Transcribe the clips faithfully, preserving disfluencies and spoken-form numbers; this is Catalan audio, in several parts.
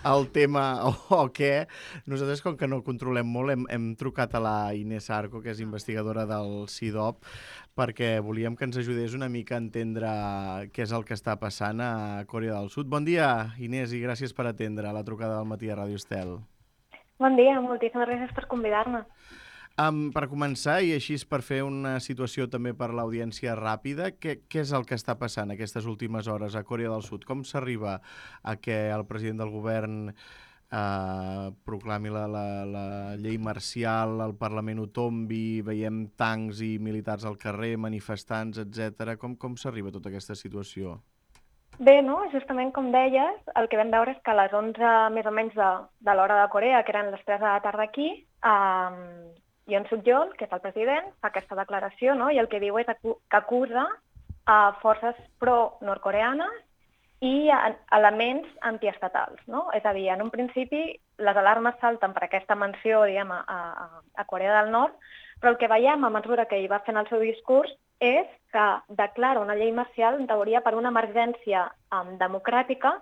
el tema o, o què. Nosaltres, com que no controlem molt, hem, hem trucat a la Inés Arco, que és investigadora del CIDOP, perquè volíem que ens ajudés una mica a entendre què és el que està passant a Corea del Sud. Bon dia, Inés, i gràcies per atendre la trucada del matí a Ràdio Estel. Bon dia, moltíssimes gràcies per convidar-me. Um, per començar, i així per fer una situació també per l'audiència ràpida, què, què és el que està passant aquestes últimes hores a Corea del Sud? Com s'arriba a que el president del govern eh, proclami la, la, la llei marcial, el Parlament ho tombi, veiem tancs i militars al carrer, manifestants, etcètera. Com, com s'arriba a tota aquesta situació? Bé, no? Justament com deies, el que vam veure és que a les onze més o menys de, de l'hora de Corea, que eren les tres de la tarda aquí, eh, Yoon Suk-yeol, que és el president, fa aquesta declaració, no? I el que diu és que acusa a forces pro-nord-coreanes i a elements antiestatals, no? És a dir, en un principi les alarmes salten per aquesta menció, diguem, a, a, a Corea del Nord, però el que veiem a mesura que hi va fent el seu discurs és que declara una llei marcial, en teoria, per una emergència um, democràtica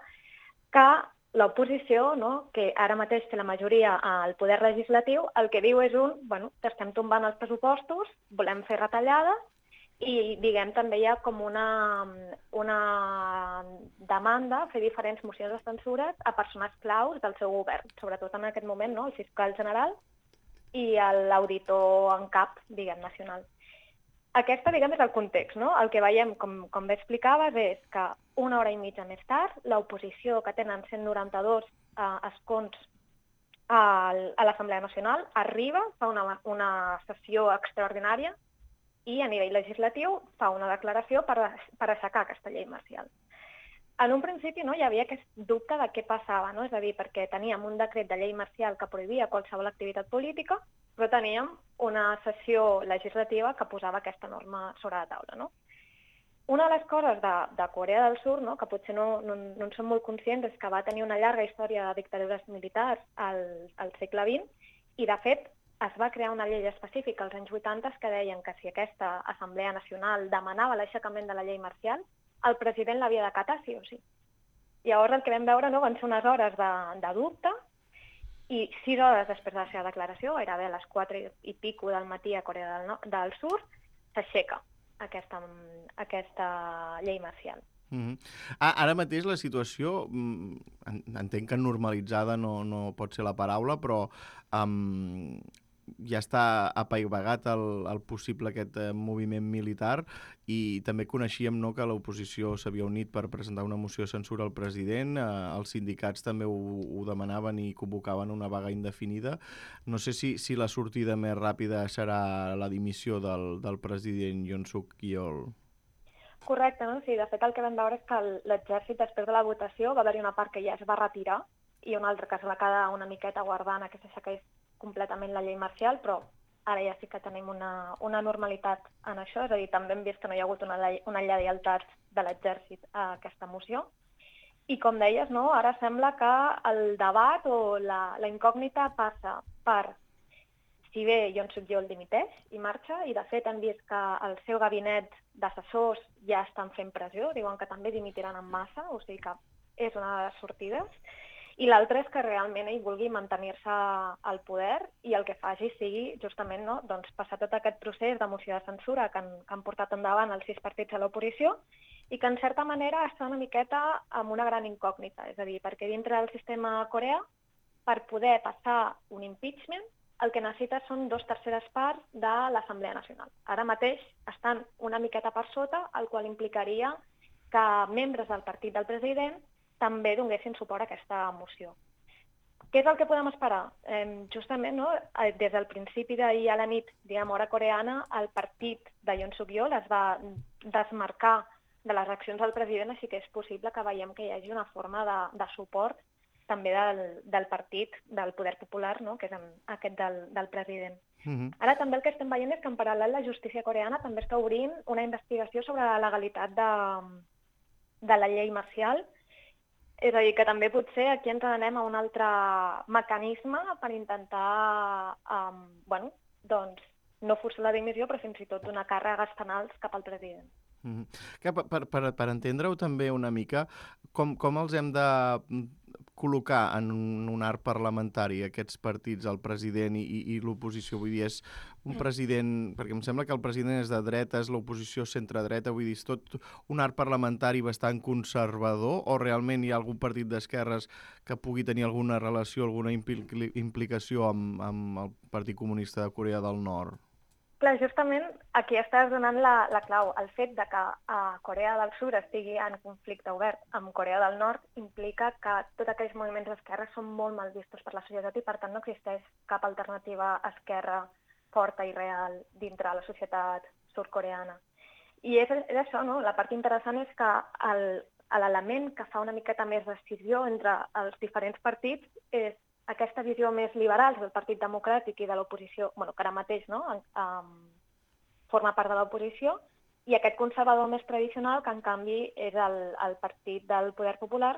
que l'oposició, no, que ara mateix té la majoria al poder legislatiu, el que diu és un, bueno, que estem tombant els pressupostos, volem fer retallades, i, diguem, també hi ha com una, una demanda, fer diferents mocions de censura a persones claus del seu govern, sobretot en aquest moment, no, el fiscal general i l'auditor en cap, diguem, nacional. Aquesta, diguem, és el context, no? El que veiem, com, com bé explicaves, és que una hora i mitja més tard, l'oposició, que tenen cent noranta-dos eh, escons a, a l'Assemblea Nacional, arriba, fa una, una sessió extraordinària i a nivell legislatiu fa una declaració per, per aixecar aquesta llei marcial. En un principi, no, hi havia aquest dubte de què passava, no? És a dir, perquè teníem un decret de llei marcial que prohibia qualsevol activitat política, però teníem una sessió legislativa que posava aquesta norma sobre la taula, no? Una de les coses de, de Corea del Sud, no, que potser no, no, no en som molt conscients, és que va tenir una llarga història de dictadures militars al, al segle vint i, de fet, es va crear una llei específica als anys vuitanta que deien que si aquesta Assemblea Nacional demanava l'aixecament de la llei marcial, el president l'havia d'acatar sí o sí. Llavors el que vam veure, no, van ser unes hores de, de dubte, i sis hores després de la seva declaració, gairebé a les quatre i pico del matí a Corea del, no del Sud, s'aixeca aquesta, aquesta llei marcial. Mm-hmm. Ara mateix la situació, entenc que normalitzada no, no pot ser la paraula, però um, ja està apaivagat el, el possible aquest eh, moviment militar, i també coneixíem, no, que l'oposició s'havia unit per presentar una moció de censura al president, eh, els sindicats també ho, ho demanaven i convocaven una vaga indefinida. No sé si, si la sortida més ràpida serà la dimissió del, del president Yoon Suk-yeol. Correcte, no? Sí, de fet el que vam veure és que l'exèrcit, després de la votació, va haver-hi una part que ja es va retirar i una altra que es va quedar una miqueta guardant a que s'aixequés completament la llei marcial, però ara ja sí que tenim una, una normalitat en això, és a dir, també hem vist que no hi ha hagut una, una lleialtat de l'exèrcit a aquesta moció. I com deies, no, ara sembla que el debat o la, la incògnita passa per si bé Yoon Suk-yeol dimiteix i marxa, i de fet hem vist que el seu gabinet d'assessors ja estan fent pressió, diuen que també dimitiran en massa, o sigui que és una de les sortides. I l'altre és que realment ell vulgui mantenir-se al poder i el que faci sigui justament, no, doncs, passar tot aquest procés de moció de censura que han, que han portat endavant els sis partits a l'oposició i que en certa manera està una miqueta amb una gran incògnita. És a dir, perquè dintre del sistema coreà, per poder passar un impeachment, el que necessita són dos terceres parts de l'Assemblea Nacional. Ara mateix estan una miqueta per sota, el qual implicaria que membres del partit del president també donessin suport a aquesta moció. Què és el que podem esperar? Eh, justament, no, des del principi d'ahir a la nit, diguem, hora coreana, el partit de Yoon Suk-yeol es va desmarcar de les accions del president, així que és possible que veiem que hi hagi una forma de, de suport també del, del partit, del poder popular, no? Que és aquest del, del president. Mm-hmm. Ara també el que estem veient és que en paral·lel la justícia coreana també està obrint una investigació sobre la legalitat de, de la llei marcial. És a dir, que també potser aquí ens anem a un altre mecanisme per intentar um, bueno, doncs, no forçar la dimissió, però fins i tot donar càrregues penals cap al president. Mm-hmm. Que per, per, per entendre-ho també una mica, com, com els hem de col·locar en un, un arc parlamentari aquests partits, el president i, i, i l'oposició? Vull dir, és un president... Perquè em sembla que el president és de dretes, l'oposició centre-dreta, vull dir, és tot un arc parlamentari bastant conservador, o realment hi ha algun partit d'esquerres que pugui tenir alguna relació, alguna impli implicació amb, amb el Partit Comunista de Corea del Nord? Clar, justament aquí estàs donant la, la clau. El fet de que uh, Corea del Sud estigui en conflicte obert amb Corea del Nord implica que tots aquells moviments d'esquerra són molt mal vistos per la societat i, per tant, no existeix cap alternativa esquerra forta i real dintre la societat sud-coreana. I és, és això, no? La part interessant és que l'element que fa una miqueta més decisió entre els diferents partits és aquesta visió més liberal del Partit Democràtic i de l'oposició, bueno, que ara mateix no? um, forma part de l'oposició, i aquest conservador més tradicional, que en canvi és el, el Partit del Poder Popular,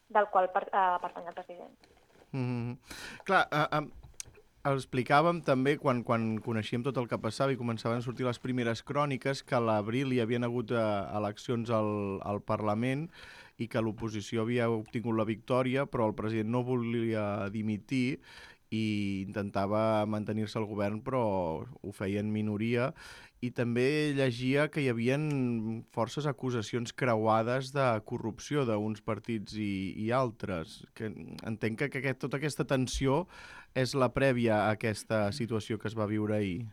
del qual per, uh, pertany el president. Mm-hmm. Clar, uh, uh, explicàvem també, quan, quan coneixíem tot el que passava i començaven a sortir les primeres cròniques, que a l'abril hi havien hagut uh, eleccions al, al Parlament, i que l'oposició havia obtingut la victòria, però el president no volia dimitir i intentava mantenir-se al govern, però ho feia en minoria. I també llegia que hi havia forces acusacions creuades de corrupció d'uns partits i, i altres. Que entenc que, que aquest, tota aquesta tensió és la prèvia a aquesta situació que es va viure ahir.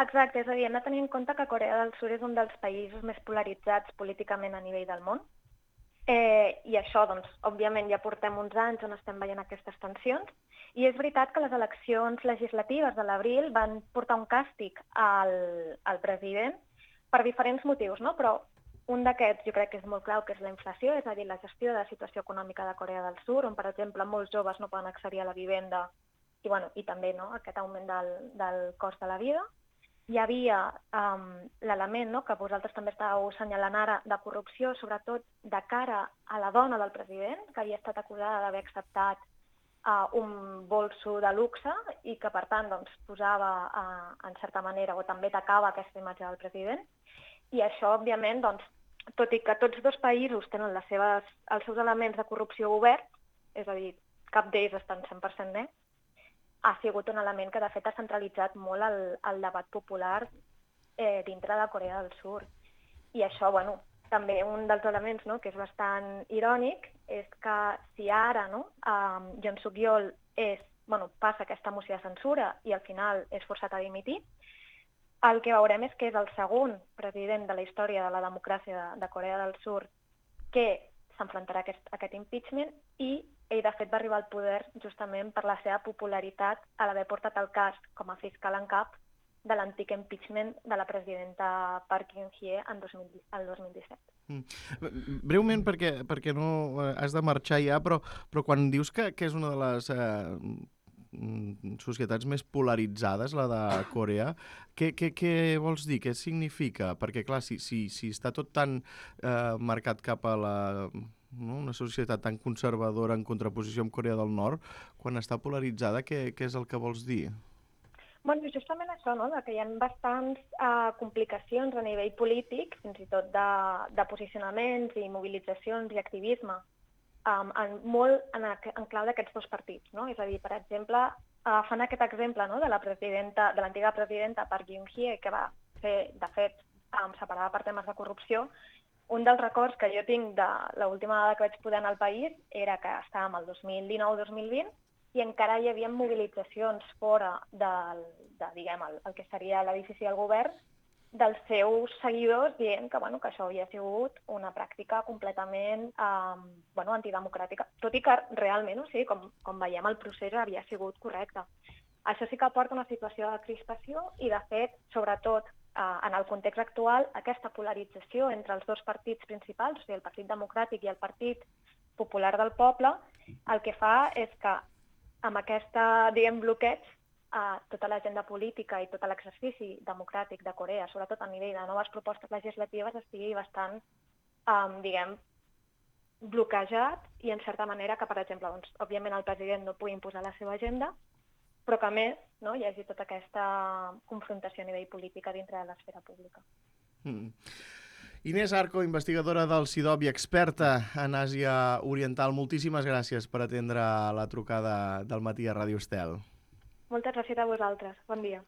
Exacte, és a dir, hem de tenir en compte que Corea del Sud és un dels països més polaritzats políticament a nivell del món. Eh, I això, doncs, òbviament ja portem uns anys on estem veient aquestes tensions, i és veritat que les eleccions legislatives de l'abril van portar un càstig al, al president per diferents motius, no? Però un d'aquests jo crec que és molt clau, que és la inflació, és a dir, la gestió de la situació econòmica de Corea del Sud, on, per exemple, molts joves no poden accedir a la vivenda i, bueno, i també no? Aquest augment del, del cost de la vida. Hi havia um, l'element, no?, que vosaltres també estàveu assenyalant ara, de corrupció, sobretot de cara a la dona del president, que havia estat acusada d'haver acceptat uh, un bolso de luxe i que, per tant, doncs, posava, uh, en certa manera, o també tacava aquesta imatge del president. I això, òbviament, doncs, tot i que tots dos països tenen les seves, els seus elements de corrupció oberts, és a dir, cap d'ells estan cent per cent nets, ha sigut un element que, de fet, ha centralitzat molt el, el debat popular eh, dintre de Corea del Sud. I això, bueno, també un dels elements, no?, que és bastant irònic, és que si ara no, um, Yoon Suk-yeol és, bueno, passa aquesta moció de censura i al final és forçat a dimitir, el que veurem és que és el segon president de la història de la democràcia de, de Corea del Sud que s'enfrontarà a aquest, a aquest impeachment, i ell, de fet, va arribar al poder justament per la seva popularitat a l'haver portat el cas com a fiscal en cap de l'antic impeachment de la presidenta Park Geun-hye en dos mil, el dos mil disset. Mm. Breument, perquè, perquè no has de marxar ja, però, però quan dius que, que és una de les eh, societats més polaritzades, la de Corea, què, què, què vols dir? Què significa? Perquè, clar, si, si, si està tot tan eh, marcat cap a la... No? Una societat tan conservadora en contraposició amb Corea del Nord, quan està polaritzada, què, què és el que vols dir? Bueno, justament això, no?, que hi ha bastants uh, complicacions a nivell polític, fins i tot de, de posicionaments i mobilitzacions i activisme, um, en, molt en, en clau d'aquests dos partits, no? És a dir, per exemple, uh, fan aquest exemple, no?, de la presidenta, de l'antiga presidenta Park Geun-hye, que va fer, de fet, um, separada per temes de corrupció. Un dels records que jo tinc de l'última vegada que vaig poder anar al país era que estàvem el dos mil dinou dos mil vint i encara hi havia mobilitzacions fora del, de, diguem, el, el que seria l'edifici del govern, dels seus seguidors dient que, bueno, que això havia sigut una pràctica completament eh, bueno, antidemocràtica, tot i que realment, o sigui, com, com veiem, el procés havia sigut correcte. Això sí que porta una situació de crispació i, de fet, sobretot, en el context actual, aquesta polarització entre els dos partits principals, o sigui, el Partit Democràtic i el Partit Popular del Poble, el que fa és que amb aquesta, diguem, bloqueig, eh, tota l'agenda política i tot l'exercici democràtic de Corea, sobretot a nivell de noves propostes legislatives, estigui bastant, eh, diguem, bloquejat i, en certa manera, que, per exemple, doncs, òbviament el president no pugui imposar la seva agenda, però que, a més, no, hi hagi tota aquesta confrontació a nivell polític dintre de l'esfera pública. Mm. Inés Arco, investigadora del CIDOB i experta en Àsia Oriental, moltíssimes gràcies per atendre la trucada del matí a Ràdio Estel. Moltes gràcies a vosaltres. Bon dia.